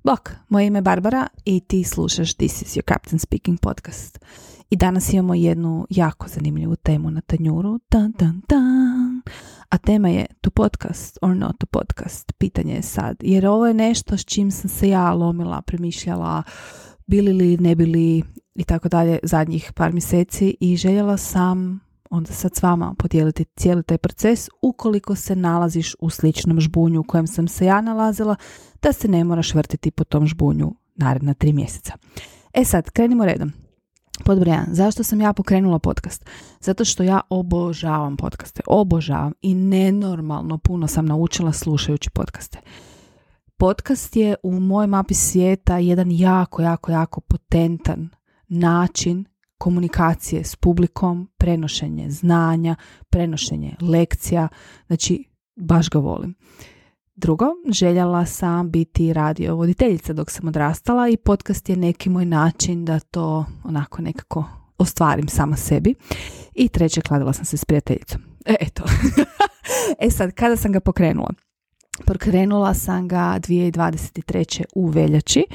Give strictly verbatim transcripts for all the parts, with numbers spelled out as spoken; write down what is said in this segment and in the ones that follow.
Bok, moje ime je Barbara i ti slušaš This is your Captain Speaking podcast. I danas imamo jednu jako zanimljivu temu na tanjuru. Dun, dun, dun. A tema je to podcast or not to podcast. Pitanje je sad. Jer ovo je nešto s čim sam se ja lomila, premišljala, bili li, ne bili i tako dalje zadnjih par mjeseci i željela sam onda sad s vama podijeliti cijeli taj proces ukoliko se nalaziš u sličnom žbunju u kojem sam se ja nalazila, da se ne moraš vrtiti po tom žbunju naredna tri mjeseca. E sad, krenimo redom. Pod broj jedan, zašto sam ja pokrenula podcast? Zato što ja obožavam podcaste, obožavam i nenormalno puno sam naučila slušajući podcaste. Podcast je u mojoj mapi svijeta jedan jako, jako, jako potentan način komunikacije s publikom, prenošenje znanja, prenošenje lekcija, znači baš ga volim. Drugo, željela sam biti radio voditeljica dok sam odrastala i podcast je neki moj način da to onako nekako ostvarim sama sebi. I treće, kladila sam se s prijateljicom. E, eto. e sad, kada sam ga pokrenula? Pokrenula sam ga dvije tisuće dvadeset treće u veljači.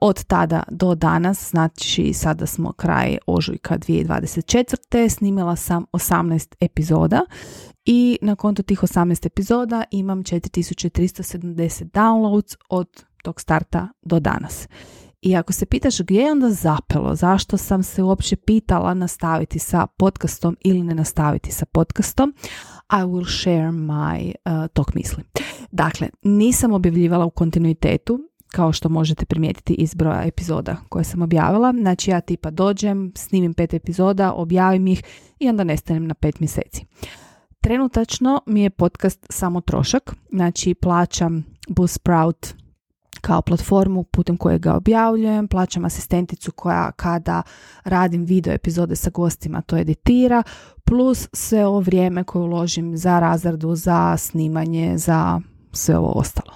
Od tada do danas, znači sada smo kraj ožujka dvije tisuće dvadeset četvrte. snimila sam osamnaest epizoda i na kontu tih osamnaest epizoda imam četiri tisuće tristo sedamdeset downloads od tog starta do danas. I ako se pitaš gdje je onda zapelo, zašto sam se uopće pitala nastaviti sa podcastom ili ne nastaviti sa podcastom, I will share my uh, tok misli. Dakle, nisam objavljivala u kontinuitetu, kao što možete primijetiti iz broja epizoda koje sam objavila. Znači ja tipa dođem, snimim pet epizoda, objavim ih i onda nestanem na pet mjeseci. Trenutačno mi je podcast samo trošak, znači plaćam Buzzsprout kao platformu putem koje ga objavljujem, plaćam asistenticu koja kada radim video epizode sa gostima to editira, plus sve ovo vrijeme koje uložim za razradu, za snimanje, za sve ovo ostalo.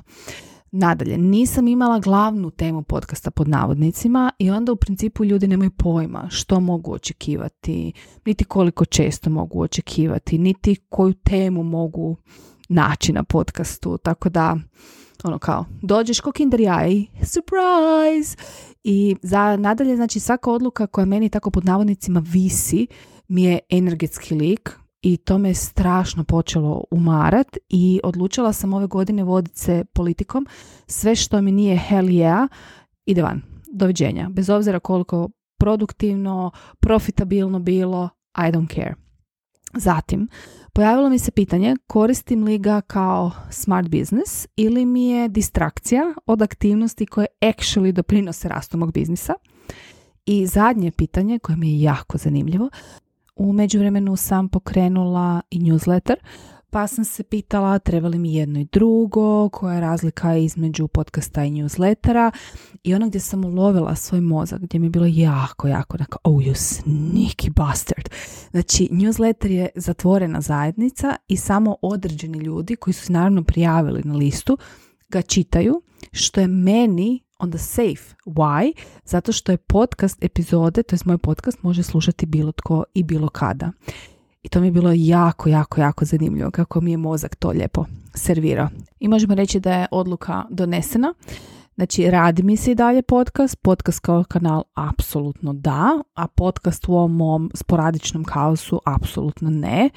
Nadalje, nisam imala glavnu temu podcasta pod navodnicima i onda u principu ljudi nemaju pojma što mogu očekivati, niti koliko često mogu očekivati, niti koju temu mogu naći na podcastu, tako da ono kao, dođeš ko Kinder Jaj, surprise! I za nadalje, znači svaka odluka koja meni tako pod navodnicima visi mi je energetski lik i to me strašno počelo umarat i odlučila sam ove godine voditi se politikom. Sve što mi nije hell yeah, ide van. Doviđenja. Bez obzira koliko produktivno, profitabilno bilo, I don't care. Zatim, pojavilo mi se pitanje koristim li ga kao smart business ili mi je distrakcija od aktivnosti koje actually doprinose rastu mog biznisa. I zadnje pitanje koje mi je jako zanimljivo, u međuvremenu sam pokrenula i newsletter, pa sam se pitala treba li mi jedno i drugo, koja je razlika između podcasta i newslettera i ono gdje sam ulovila svoj mozak, gdje mi je bilo jako, jako nako, oh you sneaky bastard. Znači, newsletter je zatvorena zajednica i samo određeni ljudi koji su se naravno prijavili na listu ga čitaju, što je meni onda safe. Why? Zato što je podcast epizode, to je moj podcast, može slušati bilo tko i bilo kada. I to mi je bilo jako, jako, jako zanimljivo kako mi je mozak to lijepo servirao. I možemo reći da je odluka donesena. Znači, radi mi se i dalje podcast. Podcast kao kanal apsolutno da, a podcast u ovom mom sporadičnom kaosu apsolutno ne.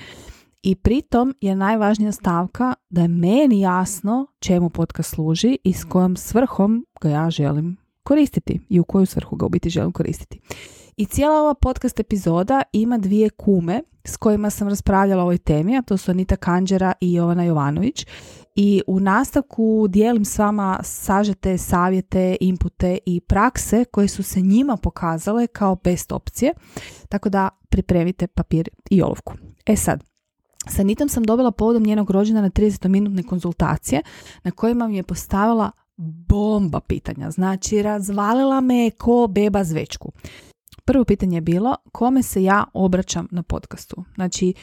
I pritom je najvažnija stavka da je meni jasno čemu podcast služi i s kojom svrhom ga ja želim koristiti i u koju svrhu ga u biti želim koristiti. I cijela ova podcast epizoda ima dvije kume s kojima sam raspravljala o ovoj temi, a to su Anita Kanđera i Jovana Jovanović. I u nastavku dijelim s vama sažete savjete, inpute i prakse koje su se njima pokazale kao best opcije. Tako da pripremite papir i olovku. E sad, sa Anitom sam dobila povodom njenog rođendana tridesetminutne konzultacije na kojima mi je postavila bomba pitanja. Znači, razvalila me ko beba zvečku. Prvo pitanje je bilo kome se ja obraćam na podcastu. Znači,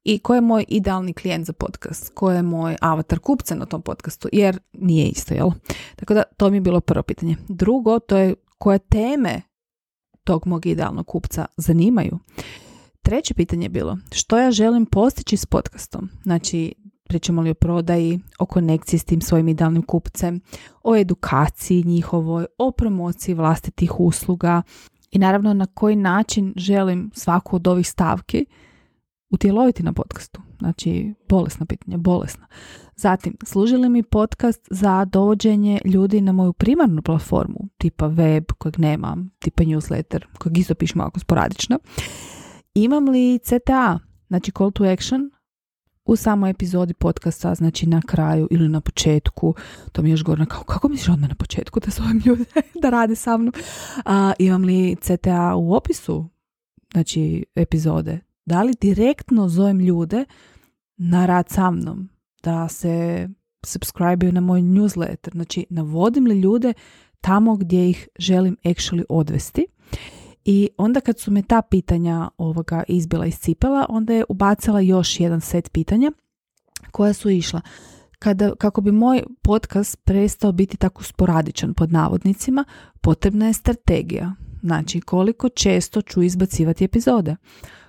i ko je moj idealni klijent za podcast, ko je moj avatar kupca na tom podcastu, jer nije isto, jel? Tako da to mi je bilo prvo pitanje. Drugo, to je koje teme tog mog idealnog kupca zanimaju. Treće pitanje je bilo što ja želim postići s podcastom. Znači, pričamo li o prodaji, o konekciji s tim svojim idealnim kupcem, o edukaciji njihovoj, o promociji vlastitih usluga i naravno na koji način želim svaku od ovih stavki utjeloviti na podcastu. Znači, bolesna pitanja, bolesna. Zatim, služi li mi podcast za dovođenje ljudi na moju primarnu platformu, tipa web kojeg nemam, tipa newsletter, kojeg isto pišem ovako sporadično. Imam li C T A, znači call to action, u samoj epizodi podcasta, znači na kraju ili na početku. To mi je još gorno, kao, kako misliš odmah na početku da zovem ljude da rade sa mnom? A, imam li C T A u opisu, znači epizode? Da li direktno zovem ljude na rad sa mnom, da se subscribe-uju na moj newsletter, znači navodim li ljude tamo gdje ih želim actually odvesti. I onda kad su me ta pitanja ovoga izbila iz cipela, onda je ubacila još jedan set pitanja koja su išla. Kada, kako bi moj podcast prestao biti tako sporadičan pod navodnicima, potrebna je strategija. Znači koliko često ću izbacivati epizode,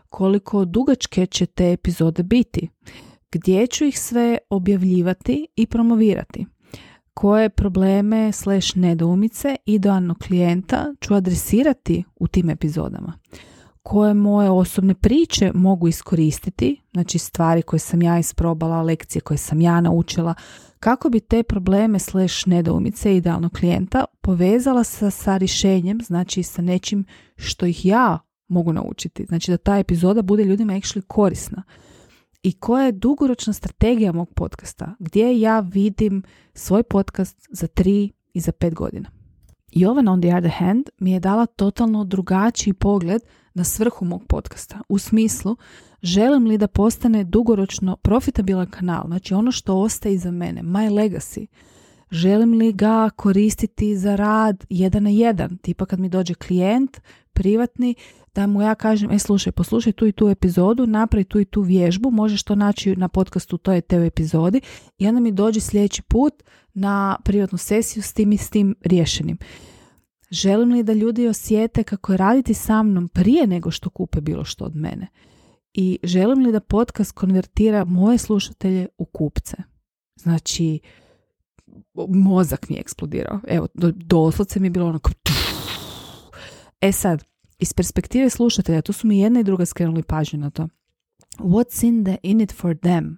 koliko dugačke će te epizode biti, gdje ću ih sve objavljivati i promovirati, koje probleme slash nedoumice idealnog klijenta ću adresirati u tim epizodama, koje moje osobne priče mogu iskoristiti, znači stvari koje sam ja isprobala, lekcije koje sam ja naučila, kako bi te probleme slash nedoumice idealnog klijenta povezala sa, sa rješenjem, znači sa nečim što ih ja mogu naučiti. Znači da ta epizoda bude ljudima actually korisna. I koja je dugoročna strategija mog podcasta? Gdje ja vidim svoj podcast za tri i za pet godina? Jovan on the other hand mi je dala totalno drugačiji pogled na svrhu mog podcasta. U smislu, želim li da postane dugoročno profitabilan kanal, znači ono što ostaje iza mene, my legacy. Želim li ga koristiti za rad jedan na jedan, tipa kad mi dođe klijent privatni, da mu ja kažem, e slušaj, poslušaj tu i tu epizodu, napravi tu i tu vježbu, možeš to naći na podcastu, to je te u epizodi, i onda mi dođe sljedeći put na privatnu sesiju s tim i s tim riješenim. Želim li da ljudi osjete kako je raditi sa mnom prije nego što kupe bilo što od mene? I želim li da podcast konvertira moje slušatelje u kupce? Znači, mozak mi je eksplodirao. Evo, doslovce mi je bilo ono kao... E sad, iz perspektive slušatelja, tu su mi jedna i druga skrenuli pažnju na to. What's in, the, in it for them?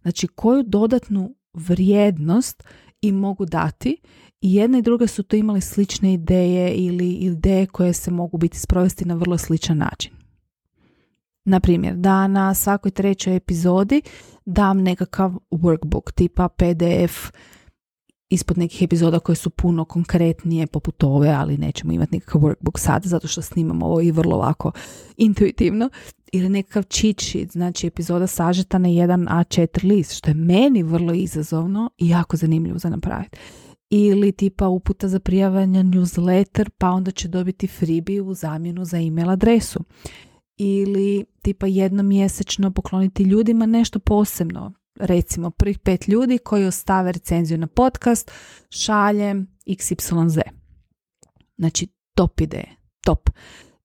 Znači, koju dodatnu vrijednost im mogu dati, i jedna i druga su to imali slične ideje ili ideje koje se mogu biti sprovesti na vrlo sličan način. Naprimjer, da na svakoj trećoj epizodi dam nekakav workbook tipa P D F ispod nekih epizoda koje su puno konkretnije poput ove, ali nećemo imati nekakav workbook sad zato što snimamo ovo i vrlo lako intuitivno, ili nekakav cheat sheet, znači epizoda sažeta na jedan A četiri list, što je meni vrlo izazovno i jako zanimljivo za napraviti. Ili tipa uputa za prijavljanje newsletter, pa onda će dobiti freebie u zamjenu za email adresu. Ili tipa jednomjesečno pokloniti ljudima nešto posebno. Recimo prvih pet ljudi koji ostave recenziju na podcast, šaljem iks ipsilon zet. Znači top ideje, top.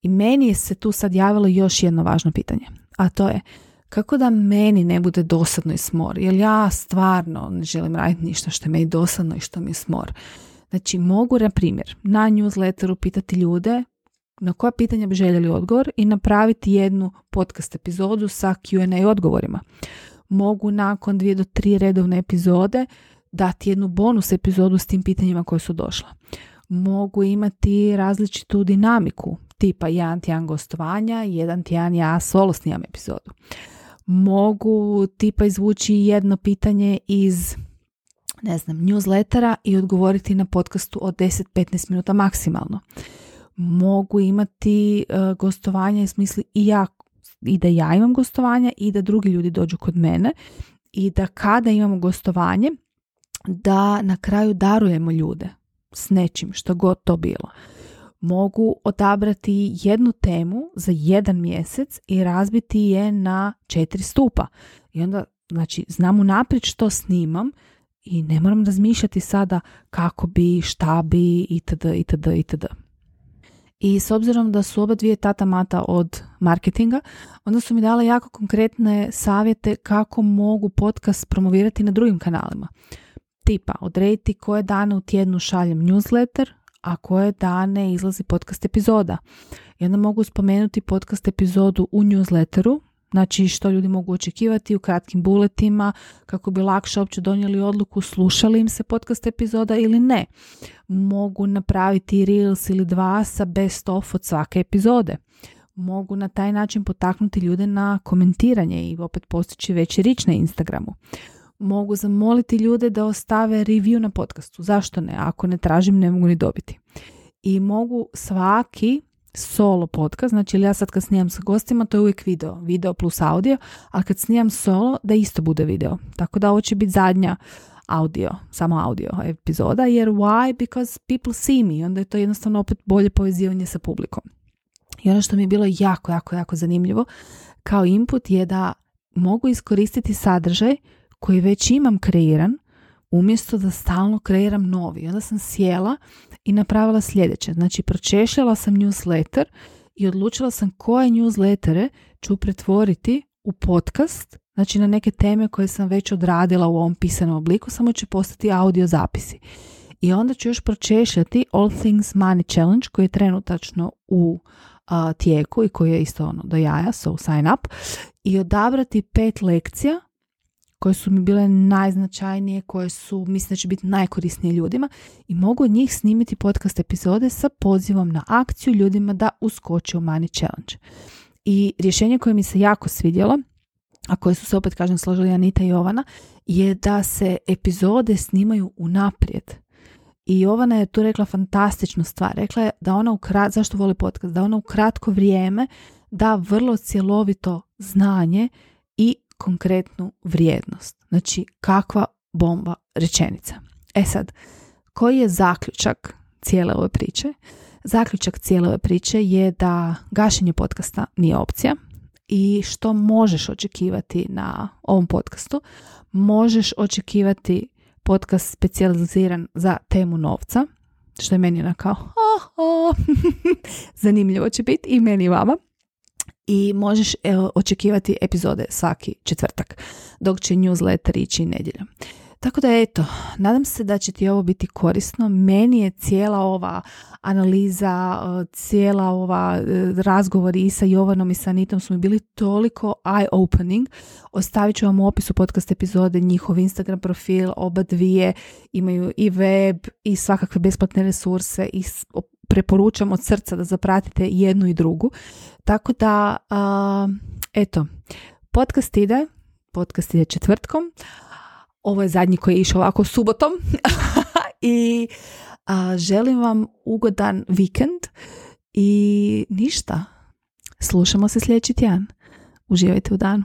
I meni je se tu sad javilo još jedno važno pitanje, a to je kako da meni ne bude dosadno i smor, jer ja stvarno ne želim raditi ništa što je meni dosadno i što mi je smor. Znači mogu, na primjer, na newsletteru pitati ljude na koja pitanja bi željeli odgovor i napraviti jednu podcast epizodu sa Q and A odgovorima. Mogu nakon dvije do tri redovne epizode dati jednu bonus epizodu s tim pitanjima koje su došla. Mogu imati različitu dinamiku, tipa jedan tjedan gostovanja, jedan tjedan ja solo snimam epizodu. Mogu tipa izvući jedno pitanje iz, ne znam, newslettera i odgovoriti na podcastu od deset do petnaest minuta maksimalno. Mogu imati uh, gostovanja u smislu i ja i da ja imam gostovanja i da drugi ljudi dođu kod mene, i da kada imamo gostovanje da na kraju darujemo ljude s nečim, što god to bilo. Mogu odabrati jednu temu za jedan mjesec i razbiti je na četiri stupa. I onda, znači, znam unaprijed što snimam i ne moram razmišljati sada kako bi, šta bi, itd., itd., itd. I s obzirom da su oba dvije tata mata od marketinga, onda su mi dale jako konkretne savjete kako mogu podcast promovirati na drugim kanalima. Tipa, odrediti koje dane u tjednu šaljem newsletter, a koje dane izlazi podcast epizoda. I onda mogu spomenuti podcast epizodu u newsletteru, znači što ljudi mogu očekivati u kratkim bulletima, kako bi lakše uopće donijeli odluku slušali im se podcast epizoda ili ne. Mogu napraviti reels ili dva sa best of od svake epizode. Mogu na taj način potaknuti ljude na komentiranje i opet postići veći rič na Instagramu. Mogu zamoliti ljude da ostave review na podcastu. Zašto ne? Ako ne tražim, ne mogu ni dobiti. I mogu svaki solo podcast, znači ja sad kad snimam sa gostima, to je uvijek video, video plus audio, ali kad snimam solo, da isto bude video. Tako da ovo će biti zadnja audio, samo audio epizoda, jer why? Because people see me, onda je to jednostavno opet bolje povezivanje sa publikom. I ono što mi je bilo jako, jako, jako zanimljivo kao input je da mogu iskoristiti sadržaj koji već imam kreiran, umjesto da stalno kreiram novi. I onda sam sjela i napravila sljedeće. Znači, pročešljala sam newsletter i odlučila sam koje newslettere ću pretvoriti u podcast, znači na neke teme koje sam već odradila u ovom pisanom obliku, samo će postati audio zapisi. I onda ću još pročešljati All Things Money Challenge koji je trenutačno u uh, tijeku i koji je isto ono do jaja, so sign up, i odabrati pet lekcija koje su mi bile najznačajnije, koje su, mislim da će biti najkorisnije ljudima, i mogu od njih snimiti podcast epizode sa pozivom na akciju ljudima da uskoče u Money Challenge. I rješenje koje mi se jako svidjelo, a koje su se opet, kažem, složili Anita i Jovana, je da se epizode snimaju unaprijed. I Jovana je tu rekla fantastičnu stvar. Rekla je da ona u krat, zašto voli podcast, da ona u kratko vrijeme da vrlo cjelovito znanje i konkretnu vrijednost. Znači, kakva bomba rečenica. E sad, koji je zaključak cijele ove priče? Zaključak cijele ove priče je da gašenje podcasta nije opcija i što možeš očekivati na ovom podcastu. Možeš očekivati podcast specijaliziran za temu novca, što je meni onako oh, oh. zanimljivo će biti i meni i vama. I možeš evo, očekivati epizode svaki četvrtak, dok će newsletter ići nedjeljom. Tako da eto, nadam se da će ti ovo biti korisno. Meni je cijela ova analiza, cijela ova razgovor i sa Jovanom i sa Anitom su mi bili toliko eye-opening. Ostavit ću vam u opisu podcast epizode njihov Instagram profil, oba dvije imaju i web i svakakve besplatne resurse i preporučam od srca da zapratite jednu i drugu. Tako da, uh, eto, podcast ide, podcast ide četvrtkom. Ovo je zadnji koji je išao ovako subotom i a, želim vam ugodan vikend i ništa. Slušamo se sljedeći tjedan. Uživajte u danu.